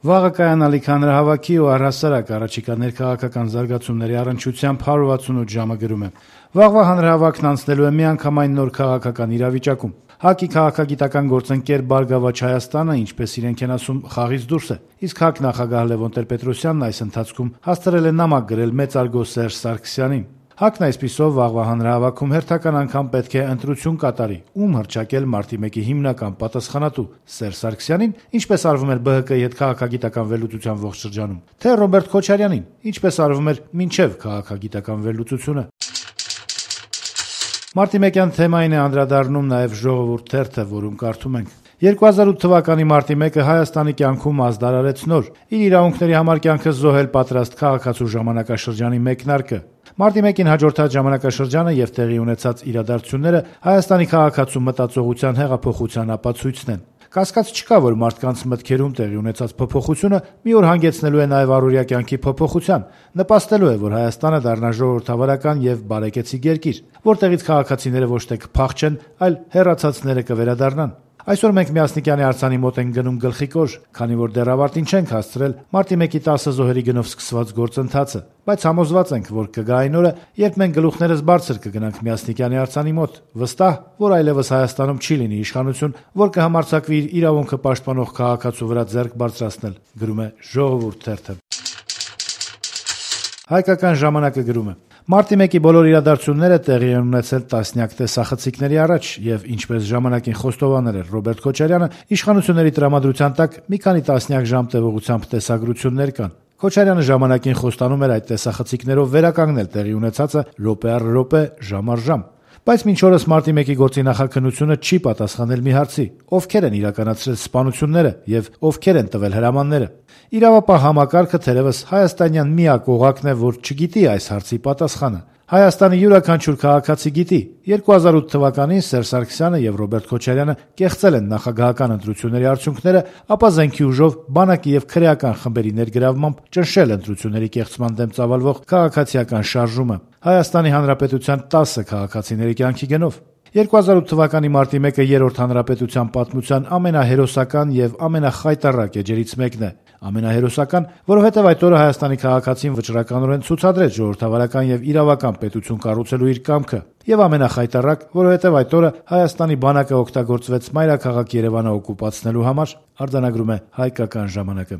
Վաղը կայանալիք հանրահավաքի ու առհասարակ առաջիկա ներքաղաքական զարգացումների առնչությամբ 168 ժամը գրում է. Վաղվա հանրահավաքն անցնելու է միանգամայն նոր քաղաքական իրավիճակում։ ՀԱԿ-ի քաղաքագիտական գործընկեր «Բարգավաճ Հայաստանը», ինչպես իրենք են ասում, խաղից դուրս է, իսկ ՀԱԿ նախագահ Լևոն Տեր-Պետրոսյանն այս ընթացքում հաստրել է նամակ գրել մեծարգո Սերժ Սարգսյանին։ ՀԱԿ-ն այսպիսով վաղվա հանրահավաքում հերթական անգամ պետք է ընտրություն կատարի, ում հռչակել մարտի 1-ի հիմնական պատասխանատու Սերժ Սարգսյանին, ինչպես արվում էր ԲՀԿ-ի հետ քաղաքագիտական վերլուծության ողջ շրջանում, թե Ռոբերտ Քոչարյանին, ինչպես արվում էր մինչև քաղաքագիտական վերլուծությունը։ Մարտի 1-յան թեմային է անդրադառնում նաև «Ժողովուրդ» թերթը, որում կարդում ենք. 2008 թվականի մարտի 1-ը Հայաստանի կյանքում ազդարարեց նոր, իր իրավունքների համար կյանքը զոհել պատրաստ քաղաքացու ժամանակաշրջանի մեկնարկը։ Մարտի 1-ին հաջորդած ժամանակաշրջանը եւ տեղի ունեցած իրադարձությունները Հայաստանի քաղաքացու մտածողության հեղափոխության ապացույցն են։ Կասկած չկա, որ մարդկանց մտքերում տեղի ունեցած փոփոխությունը մի օր հանգեցնելու է նաև առօրյա կյանքի փոփոխության, նպաստելու է, որ Հայաստանը դառնա ժողովրդավարական եւ բարեկեցիկ երկիր, որտեղից քաղաքացիները ոչ թե կփախչեն, այլ հեռացածները կվերադառնան։ Այսօր մենք Միասնիկյանի արձանի մոտ ենք գնում գլխիկոր, քանի որ դեռ ավարտին չենք հասցրել մարտի 1-ի 10 զոհերի գնով սկսված գործընթացը, բայց համոզված ենք, որ կգա այն օրը, երբ մենք գլուխներս բարձր կգնանք Միասնիկյանի արձանի մոտ, վստահ, որ այլևս Հայաստանում չի լինի իշխանություն, որ կհամարձակվի իր իրավունքը պաշտպանող քաղաքացու վրա ձեռք բարձրացնել, գրում է «Ժողովուրդ» թերթը։ Հայկական ժամանակը գրում է. Մարտի 1-ի բոլոր իրադարձությունները տեղի են ունեցել տասնյակ տեսախցիկների առաջ եւ ինչպես ժամանակին խոստովանել էր Ռոբերտ Քոչարյանը, իշխանությունների տրամադրության տակ մի քանի տասնյակ ժամ տևողությամբ տեսագրություններ կան։ Քոչարյանը ժամանակին խոստանում էր այդ տեսախցիկներով վերականգնել տեղի ունեցածը րոպե առ րոպե, ժամ առ ժամ։ Բայց մինչ օրս մարտի 1-ի գործի նախաքննությունը չի պատասխանել մի հարցի. ովքեր են իրականացրել սպանությունները եւ ովքեր են տվել հրամանները։ Իրավապահ համակարգը թերևս հայաստանյան միակ օղակն է, որ չգիտի այս հարցի պատասխանը։ Հայաստանի յուրաքանչյուր քաղաքացի գիտի. 2008 թվականին Սերժ Սարգսյանը եւ Ռոբերտ Քոչարյանը կեղծել են նախագահական ընտրությունների արդյունքները, ապա զենքի ուժով, բանակի եւ քրեական խմբերի ներգրավմամբ ճնշել ընտրությունների կեղծման դեմ ծավալվող քաղաքացիական շարժումը Հայաստանի Հանրապետության 10 քաղաքացիների կյանքի գնով։ 2008 թվականի մարտի 1-ը երրորդ հանրապետության պատմության ամենահերոսական եւ ամենախայտառակ էջերից մեկն է։ Ամենահերոսական, որովհետեւ այդ օրը Հայաստանի քաղաքացին վճռականորեն ցուցադրեց ժողովրդավարական եւ իրավական պետություն կառուցելու իր կամքը, եւ ամենախայտառակ, որովհետեւ այդ օրը Հայաստանի բանակը օգտագործվեց մայրաքաղաք Երևանը օկուպացնելու համար, արձանագրում է Հայկական ժամանակը։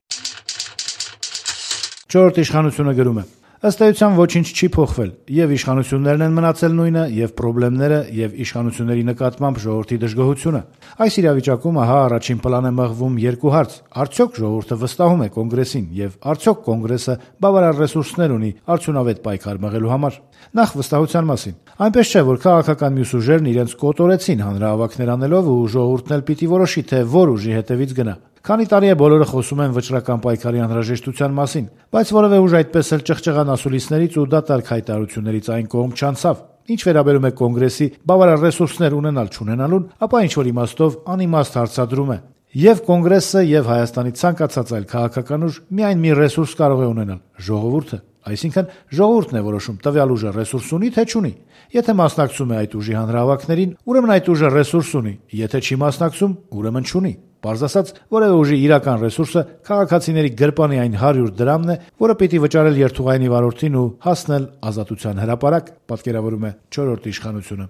4-րդ իշխանությունը գրում է. ըստ էության ոչինչ չի փոխվել, եւ իշխանություններն են մնացել նույնը, եւ խնդիրները, եւ իշխանությունների նկատմամբ ժողովրդի դժգոհությունը։ Այս իրավիճակում ահա առաջին պլան է մղվում երկու հարց. արդյոք ժողովուրդը վստահում է կոնգրեսին, եւ արդյոք կոնգրեսը բավարար ռեսուրսներ ունի արդյունավետ պայքար մղելու համար։ Նախ վստահության մասին։ Այնպես չէ, որ քաղաքական մյուս ուժերն իրենց կոտորեցին հանրահավաքներ անելով ու ժողովուրդն էլ պիտի որոշի, թե որ ուժի հետևից գնա։ Քանի տարի է բոլորը խոսում են վճռական պայքարի անհրաժեշտության մասին, բայց որևէ ուժ այդպես էլ ճղճղան ասուլիսներից ու դատարկ հայտարարություններից այն կողմ չանցավ։ Ինչ վերաբերում է կոնգրեսի բավարար ռեսուրսներ ունենալ չունենալուն, ապա ինչ որ իմաստով անիմաստ հարցադրում է։ Եվ կոնգրեսը, եւ Հայաստանի ցանկացած այլ քաղաքական ուժ միայն մի ռեսուրս կարող է ունենալ՝ ժողովուրդը։ Այսինքն ժողովուրդն է որոշում տվյալ ուժը ռեսուրս ունի, թե չունի։ Եթե մասնակցում է այդ ուժի հանրահավաքներին, ուրեմն այդ ուժը ռեսուրս ունի, եթե չի մասնակցում, ուրեմն չունի։ Պարզ ասած, որևէ ուժի իրական ռեսուրսը քաղաքացիների գրպանի այն 100 դրամն է, որը պիտի վճարել երթուղայինի վարորդին ու հասնել ազատության հրապարակ, պատկերավորում է 4-րդ իշխանությունը։